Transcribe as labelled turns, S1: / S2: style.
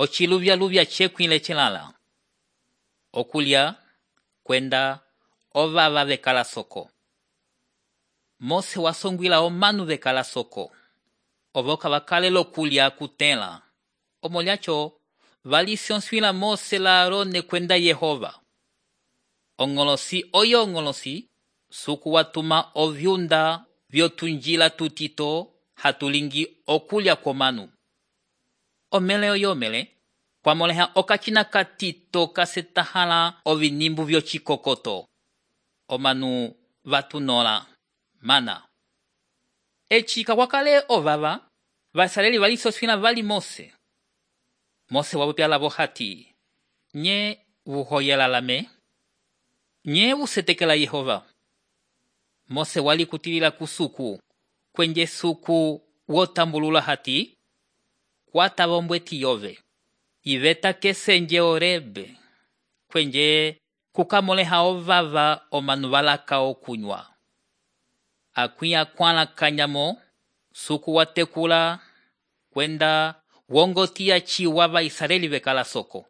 S1: ociluvya cekwile celala. Okulya kwenda ovava vekala soko. Mose wasongwila omanu vekala soko. Ovoka vakale lokulya kutela. Omolyacho valisonswila Mose la Arone kwenda Yehova. Ongolosi oyo ongolosi suku watuma ovyunda vyotunjila tutito hatulingi okulya komanu. Omele oyo omele kwamoleha okacina katito kasetahala ovinimbu vyocikokoto. Omanu vatunola mana. Eci kakwakale ovava Vaisraeli valisonswila vali Mose. Mose wapopya lavo hati, nye vuhoyelalame, nye vusetekela Yehova. Mose wali kutilila kusuku, kwenje suku wotambulula hati, kwata vombweti yove, iveta kesenje Orebe, kwenje kukamoleha ovava omanu valaka okunywa. Akwia kwala kanyamo, suku watekula, kwenda wongotia ciwa Vaisraeli vekala soko.